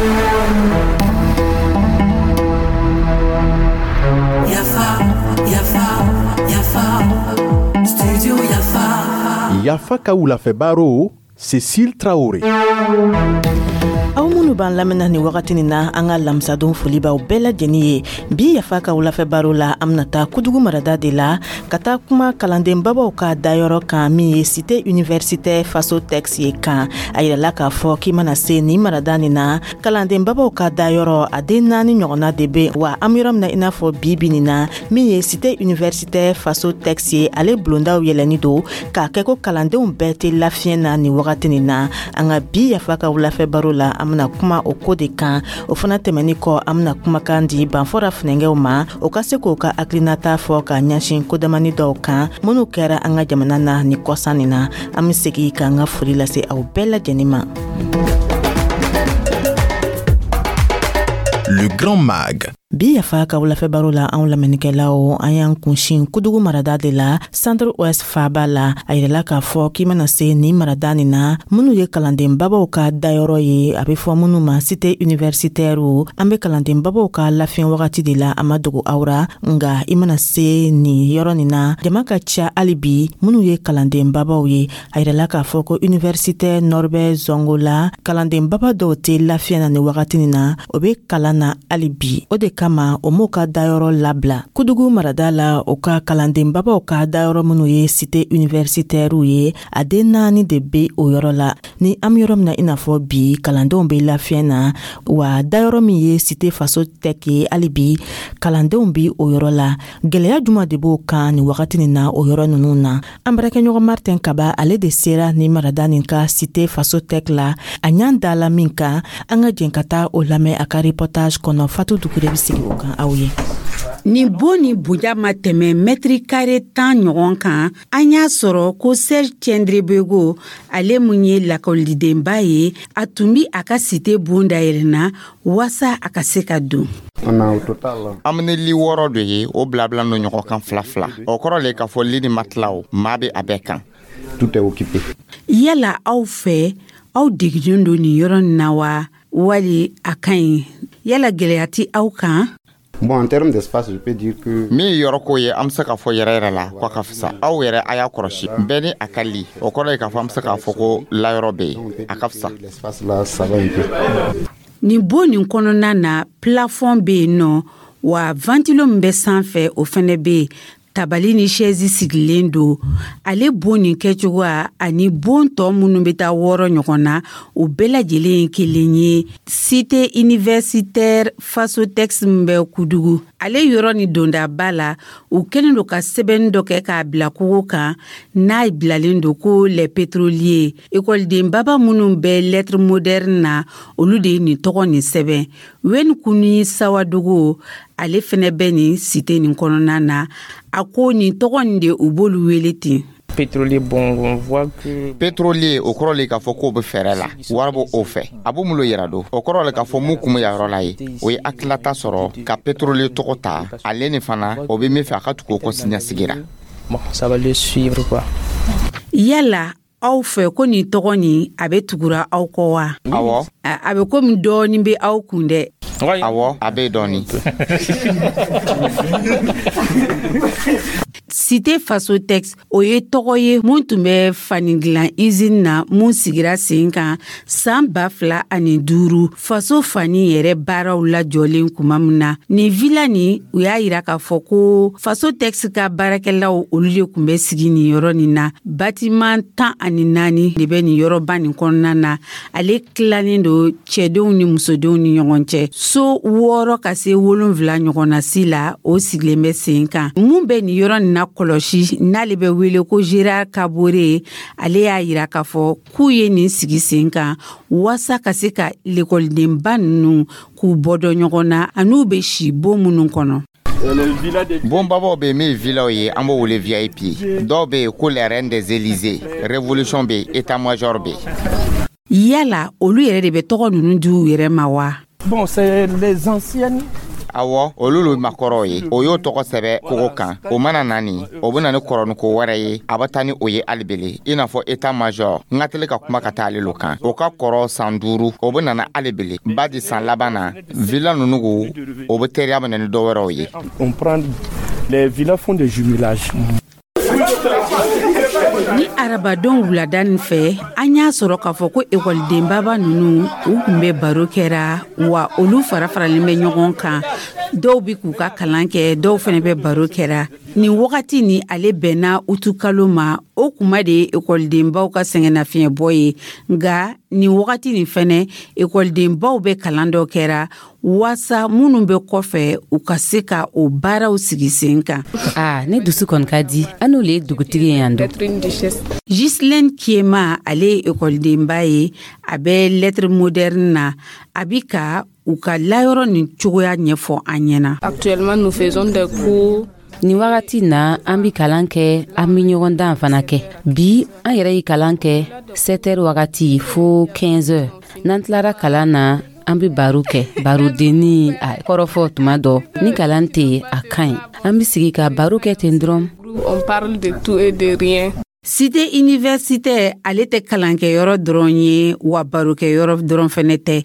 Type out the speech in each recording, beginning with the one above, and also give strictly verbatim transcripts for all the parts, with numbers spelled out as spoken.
Yafa, Yafa, Yafa, Studio Yafa. Yafa ka wulafɛ baro, Cécile Traoré. Aw minnu b'an lamɛnna nin wagati nin na, an ka lamisadon foli b'aw bɛɛ lajɛlen ye. Bi Yafa ka wulafɛ baro la, an bɛna taa Kudugu marada de la ka taa kuma kalanden babaw ka dayɔrɔ kan, min ye Cité Universitaire Faso Tex ye kan. A yirala k'a fɔ k'i mana se nin marada nin na, kalanden babaw ka dayɔrɔ a den naani ɲɔgɔnna de bɛ wa. An bɛ yɔrɔ min na i n'a fɔ bi bi nin na, min ye Cité Universitaire Faso Tex ye, ale bulondaw yɛlɛnni don k'a kɛ ko kalandenw bɛɛ tɛ lafiɲɛ na nin wagati nin na. An ka bi Yafa ka wulafɛ baro la, an bɛna kuma o ko de kan. O fana tɛmɛni kɔ, an bɛna kumakan di Banfɔra funɛngɛw ma, o ka se k'o ka hakilinata fɔ ka ɲɛsin kodamani dɔw kan minnu kɛra an ka jamana na ni kɔsan nin na. An be segi k'an ka foli lase aw bɛɛ lajɛnin ma. Le Grand Mag. Bi Yafa ka wulafɛ baro la, anw lamɛnnikɛlaw, an y'an kunsin Kudugu marada de la, Centre Ouest faaba la. A yirala k'a fɔ k'i mana se nin marada nin na, minnu ye kalanden babaw ka dayɔrɔ ye, a be fɔ minnu ma Cité Universitaire, an be kalanden babaw ka lafiɲɛ wagati de la. A ma dogo aw ra, nga i mana se nin yɔrɔ nin na, jama ka ca hali bi minnu ye kalanden babaw ye. A yirala k'a fɔ ko Université Norbert Zongo la, kalanden baba dɔw tɛ lafiya na nin wagati nin na, o be kalan na hali bi. O de kama o m'o ka dayɔrɔ labila Kudugu marada la. O ka kalanden babaw ka dayɔrɔ minnu ye Cité Universitaire ye, a den naani de be o yɔrɔ la. Ni an be yɔrɔ min na i n'a fɔ bi, kalandenw be lafiɲɛ na wa. Dayɔrɔ min ye Cité Faso Tɛk ye, hali bi kalandenw bi o yɔrɔ la. Gwɛlɛya juma de b'o kan nin wagati nin na o yɔrɔ ninnu na? An baarakɛɲɔgɔn Martin Kaba, ale de sera ni marada nin ka Cité Faso Tɛk la. A ɲan dala min kan, an ka jɛn ka taa o lamɛn a ka reportage kɔnɔ. Fatu Dukure bɛ sigi o kan aw ye. Nin bon ni bonya ma tɛmɛ mɛtiri kare tan ɲɔgɔn kan. An y'a sɔrɔ ko Serge Tiendrebego, ale mun ye lakɔlidenba ye, a tun bi a ka cité bon dayɛlɛnna waasa a ka se ka don. An bɛ ni li wɔɔrɔ de ye, o bilabila no ɲɔgɔn kan fila fila. O kɔrɔ le k'a fɔ li ni matilaw maa bɛ a bɛɛ kan. Tout est occupé. Yala aw fɛ, aw degilen don nin yɔrɔ nin na wa, wali a ka ɲi? Yala gɛlɛya ti aw kan? Bon, en termes d'espace, je peux dire que Min ye yɔrɔko ye, an bɛ se k'a fɔ yɛrɛ yɛrɛ la ko a ka fisa. Aw yɛrɛ a y'a kɔlɔsi, bɛɛ ni a ka li. O kɔrɔ ye k'a fɔ an bɛ se k'a fɔ ko layɔrɔ bɛ yen, a ka fisa. L'espace là, ça va un peu. Nin bon nin kɔnɔna na, plafond bɛ yen nɔ wa, ventilo min bɛ sanfɛ, o fɛnɛ bɛ yen. Tabali ni sɛzi sigilen don. Ale bon nin kɛcogoya ani bon tɔ minnu bɛ taa wɔɔrɔ ɲɔgɔn na, o bɛɛ lajɛlen ye kelen ye. Cité Universitaire Fasotex min bɛ Kudugu, ale yɔrɔ ni dondaba la, u kɛlen don ka sɛbɛnni dɔ kɛ k'a bila kogo kan, n'a bilalen don ko les pétroliers. Ekɔliden baba minnu bɛ lettre moderne na, olu de ye nin tɔgɔ nin sɛbɛn. Wen Kuni Sawadogo, ale fɛnɛ bɛ nin cité nin kɔnɔna na, a ko nin tɔgɔ nin de, u b'olu wele ten. Pétrolier, bon, on voit que Pétrolier, o kɔrɔ le k'a fɔ k'o bɛ fɛɛrɛ la, wari b'o o fɛ, a b'o mun yɛrɛ don. O kɔrɔ le k'a fɔ mun kun bɛ yɔrɔ la ye, o ye hakililata sɔrɔ ka pétrolier tɔgɔ ta. Ale ni fana, o bɛ min fɛ, a ka tugu o kɔ siniɲɛsigi la. Bon, ça va le suivre, quoi. Yala aw fɛ, ko nin tɔgɔ nin, a bɛ tugura aw kɔ wa? Awɔ. A bɛ komi dɔɔnin bɛ aw kun dɛ. Awɔ, a bɛ dɔɔnin. Cité Fasotex, o ye tɔgɔ ye mun tun bɛ fani dilan izini na mun sigira sen kan san ba fila ani duuru, faso fani yɛrɛ baaraw lajɔlen kuma min na. Nin villa nin, u y'a yira k'a fɔ ko Fasotex ka baarakɛlaw, olu de tun bɛ sigi nin yɔrɔ nin na. Batiman tan ani naani de bɛ nin yɔrɔba nin kɔnɔna na. Ale tilannen don cɛdenw ni musodenw ni ɲɔgɔn cɛ. So wɔɔrɔ ka se wolonfila ɲɔgɔnna si la, o sigilen bɛ sen kan. Mun bɛ nin yɔrɔ nin na kɔlɔsi, n'ale bɛ wele ko Gérard Kabore, ale y'a yira k'a fɔ k'u ye nin sigi sen kan waasa ka se ka lekɔlidenba ninnu k'u bɔ dɔ ɲɔgɔn na, an'u bɛ si bon minnu kɔnɔ. Bonbabaw bɛ yen min ye villaw ye, an b'o wele V I P. Dɔw bɛ yen ko les reines des Élysées, révolution bɛ yen, état major bɛ yen. Yala olu yɛrɛ de bɛ tɔgɔ ninnu di u yɛrɛ ma wa? Bon, c'est les anciennes. Awɔ, olu lo makɔrɔw ye. O y'o tɔgɔ sɛbɛ kogo kan. O mana na nin, o bɛ na ni kɔrɔniko wɛrɛ ye. A bɛ taa ni o ye alibele, i n'a fɔ état major. N ka teli ka kuma ka taa ale lo kan. O ka kɔrɔ san duuru, o bɛ nana alibele badi san laban na villa ninnu, o bɛ teriya minɛ ni dɔ wɛrɛw ye. On prend les villas, font des jumelages. Ni arabadon wulada nin fɛ, an y'a sɔrɔ k'a fɔ ko ekɔlidenbaba ninnu, u kun bɛ baro kɛra wa. Olu fara faralen bɛ ɲɔgɔn kan. Dɔw bi k'u ka kalan kɛ, dɔw fɛnɛ bɛ baro kɛra. Nin wagati ni ale bɛnna utukalo ma, o kuma de ye ekɔlidenbaw ka sɛgɛnnafiɲɛbɔ ye. Nga nin wagati nin fɛnɛ, ekɔlidenbaw bɛ kalan dɔ kɛra waasa minnu bɛ kɔfɛ, u ka se ka o baaraw sigi sen kan. Aa, ne dusu kɔni ka di. An n'olu ye dugutigi ye yan don. Gislaine Kiema, ale ye ekɔlidenba ye, a bɛ lettre moderne na. A bi ka u ka layɔrɔ nin cogoya ɲɛfɔ an ɲɛna. Actuellement, nous faisons des cours. Nin wagati na, an bi kalan kɛ, an bi ɲɔgɔn dan fana kɛ. Bi, an yɛrɛ ye kalan kɛ sept heures wagati fo quinze heures. N'an tilara kalan na, an be baro kɛ, barodenni a kɔrɔfɔ. Tuma dɔ ni kalan tɛ yen, a ka ɲi, an be sigi ka baro kɛ ten dɔrɔn. On parle de tout et de rien. Cité universitaire, ale tɛ kalankɛyɔrɔ dɔrɔn ye wa, barokɛyɔrɔ dɔrɔn fɛnɛ tɛ.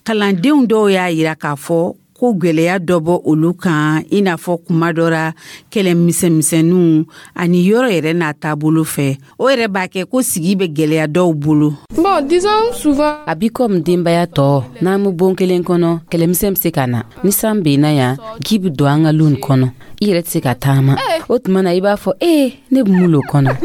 Kalandenw dɔw y'a yira k'a fɔ ko gwɛlɛya dɔ bɔ olu kan, i n'a fɔ kuma dɔ ra kɛlɛ misɛnmisɛnninw ani yɔrɔ yɛrɛ n'a taabolo fɛ, o yɛrɛ b'a kɛ ko sigi bɛ gwɛlɛya dɔw bolo. Bon, disons souvent. A bi komi denbaya tɔ, n'an be bon kelen kɔnɔ, kɛlɛmisɛn be se ka na. Ni san benna yan, ji be don an ka lu nin kɔnɔ, i yɛrɛ tɛ se ka taama. O tuma na, i b'a fɔ ee, ne be mun lo kɔnɔ?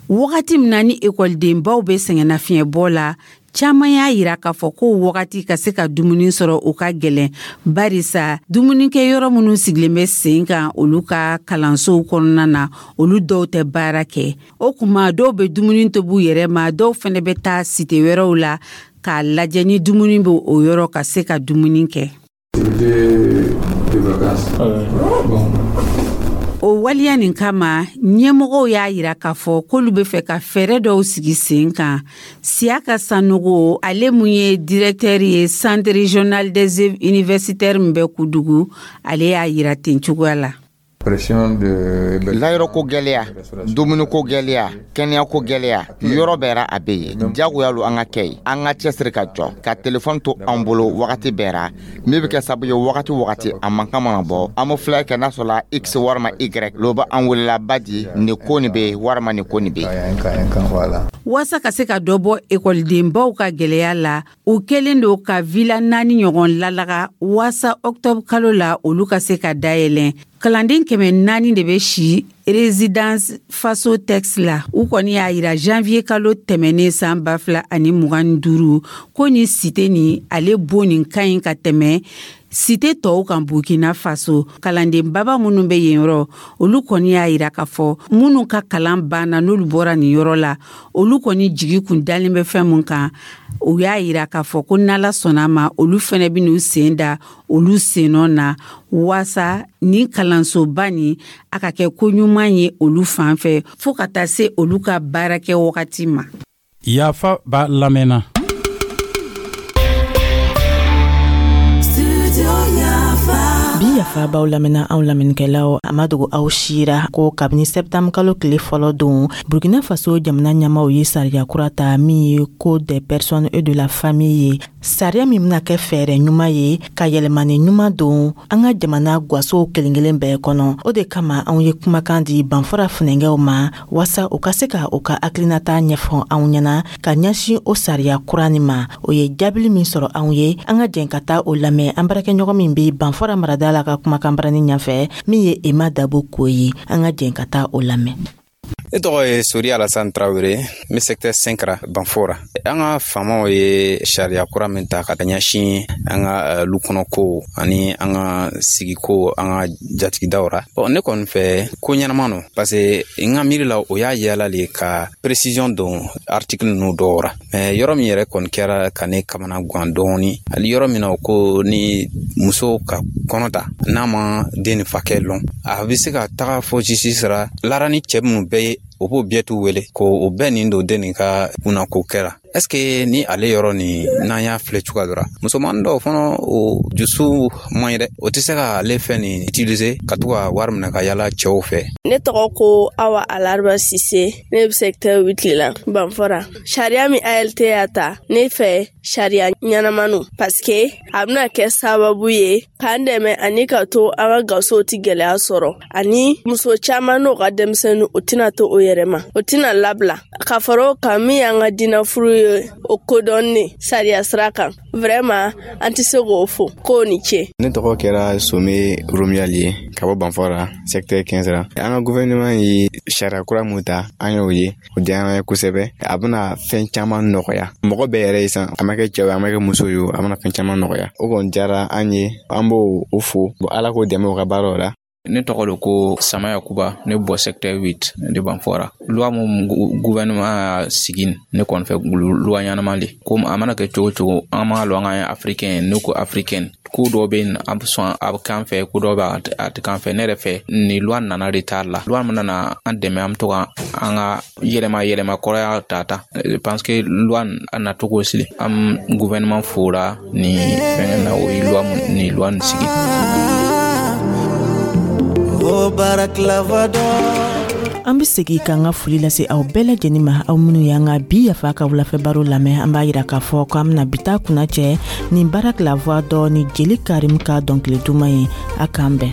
Wagati min na ni ekɔlidenbaw bɛ sɛgɛnnafiɲɛbɔ la, caaman y'a yira k'a fɔ ko wagati ka se ka dumuni sɔrɔ, o ka gwɛlɛn, barisa dumunikɛ yɔrɔ minnu sigilen bɛ sen kan olu ka kalansow kɔnɔna na, olu dɔw tɛ baara kɛ. O kuma, dɔw bɛ dumuni tobi u yɛrɛ ma, dɔw fɛnɛ bɛ taa cité wɛrɛw la k'a lajɛ ni dumuni bɛ o yɔrɔ, ka se ka dumuni kɛ. De vacances. Bon. O waleya nin kama, ɲɛmɔgɔw y'a yira k'a fɔ k'olu bɛ fɛ ka fɛɛrɛ dɔw sigi sen kan. Siyaka Sanogo, ale mun ye directeur ye Centre régional des œuvres universitaires min bɛ Kudugu, ale y'a yira ten cogoya la. Pression de Layɔrɔko gwɛlɛya, dumuniko gwɛlɛya, kɛnɛyako gwɛlɛya, yɔrɔ bɛɛ ra a be yen. Jagoya lo an ka kɛ yen. An ka cɛsiri ka jɔ ka telefɔni to an bolo wagati bɛɛ ra, min be kɛ sababu ye, wagati wagati a mankan mana bɔ, an be filɛ kɛ n'a sɔrɔla x warima y lo bɛ an welela badi nin ko nin be warima nin ko nin be. Waasa ka se ka dɔ bɔ ekɔlidenbaw ka gwɛlɛya la, u kɛlen don ka villa naani ɲɔgɔn lalaga waasa ɔktɔbr kalo la, olu ka se ka dayɛlɛn. Kalanden kɛmɛ naani de bɛ si résidence Faso Tex la. U kɔni y'a yira janvier kalo tɛmɛnen san ba fila ani mugan ni duuru ko ni cité nin, ale bon nin ka ɲi ka tɛmɛ cité tɔw kan Burkina Faso. Kalanden baba minnu bɛ yen yɔrɔ, olu kɔni y'a yira k'a fɔ minnu ka kalan banna, n'olu bɔra nin yɔrɔ la, olu kɔni jigi kun dalen bɛ fɛn mun kan. U y'a yira k'a fɔ ko n'Ala sɔnna ma, olu fɛnɛ bɛ n'u sen da olu sennɔ na waasa nin kalansoba nin a ka kɛ ko ɲuman ye olu fan fɛ, fɔɔ ka taa se olu ka baarakɛ wagati ma. Yafa b'a lamɛnna. Bi yafa b'aw lamɛnna, anw lamɛnnikɛlaw. A ma dogo aw sira ko kabini sɛptanburu kalo tile fɔlɔ don, Burkina Faso jamana ɲɛmaw ye sariya kura ta min ye Code des personnes et de la famille ye, sariya min bena kɛ fɛɛrɛ ɲuman ye ka yɛlɛmani ɲuman don an ka jamana gwasow kelen kelen bɛɛ kɔnɔ. O de kama, anw ye kumakan di Banfora funɛngɛw ma waasa u ka se ka u ka hakilinata ɲɛfɔ anw ɲɛna ka ɲɛsin o sariya kura nin ma. O ye jaabili min sɔrɔ anw ye, an ka jɛn ka taa o lamɛn an baarakɛɲɔgɔn min be Banfora marada la ka kumakan barani ɲɛfɛ, min ye Ema Dabo ko ye. An ka jɛn ka taa o lamɛn. Ne tɔgɔ ye Sori Alasan Tarawele, n bɛ secteur cinq ra Banfora. An ka faamaw ye sariya kura min ta ka ɲɛsin an ka lu kɔnɔ ani an ka sigiko, an ka jatigidaw ra, bon, ne kɔni fɛ, ko ɲɛnama no, parce que n ka miiri la, o y'a yala le ka précision don article ninnu dɔw ra. Mais yɔrɔ min yɛrɛ kɔni kɛra ka ne kamana guwan dɔɔni, hali yɔrɔ min na o ko ni muso ka kɔnɔ ta, n'a ma den ni fakɛ lɔn, a bɛ se ka taga fɔ justice ra lara ni cɛ minnu bɛɛ ye, o b'o bɛɛ t'u wele ko o bɛɛ nin don den nin ka kunnako kɛra. Est ce que ni ale yɔrɔ nin, n'an y'a filɛ cogoya dɔ la, musomanin dɔw fana, o dusu man ɲi dɛ, o tɛ se ka ale fɛn nin utiliser ka to ka wari minɛ ka yala cɛw fɛ. Ne tɔgɔ ko Awa Alariba Sise, ne bɛ secteur huit la, Banfora. Sariya min A L T y'a ta, ne fɛ sariya ɲɛnamanu, parce que a bɛna kɛ sababu ye k'an dɛmɛ ani ka to an ka gasow ti gɛlɛya sɔrɔ, ani muso caman n'o ka denmisɛnnin, o tɛna to o yɛrɛ ma, o tɛna labila. Ka fara o kan, min y'an ka diinɛ furu ye, o kodɔnni sariya sira kan, vraiment an tɛ se k'o fo k'o ni ce. Ne tɔgɔ kɛra Some Romiyali ye ka bɔ Banfora, secteur quinze la. An ka gouvernement ye sariya kura mun ta, an y'o ye, o diyara an ye kosɛbɛ. A bɛna fɛn caman nɔgɔya mɔgɔ bɛɛ yɛrɛ ye san, a ma kɛ cɛw ye, a ma kɛ muso ye, a bɛna fɛn caman nɔgɔya. O kɔni diyara an ye, an b'o o fo. Ala k'o dɛmɛ o ka baaraw la. Ne tɔgɔ do ko Sama Yakuba, ne bɔ secteur huit de Banfora. Loi mun gouvernement y'a sigi, ne kɔni fɛ loi ɲɛnama de. Ko a mana kɛ cogo cogo, an b'a lɔn an ye africain. Ne ko africain, ko dɔw bɛ yen, a bɛ sɔn a bɛ k'an fɛ, ko dɔw bɛ a tɛ k'an fɛ. Ne yɛrɛ fɛ, nin loi nana de t'a la. Loi min nana an dɛmɛ, an bɛ to ka an ka yɛlɛma yɛlɛma kɔrɔya ta ta. Je pense que loi a nacogo sili, an gouvernement fora nin fɛngɛ na, o ye loi nin loi nin sigi. O Baraklava. An be segi k'an ka foli lase aw bɛɛ lajɛnin ma, aw minw y'an ka bi Yafa ka wulafɛ baro lamɛn. An b'a yira k'a fɔ k'an bena bi ta kunna cɛ nin Barak la voix dɔ ni Jeli Karim ka dɔnkili duman ye. A k'an bɛn.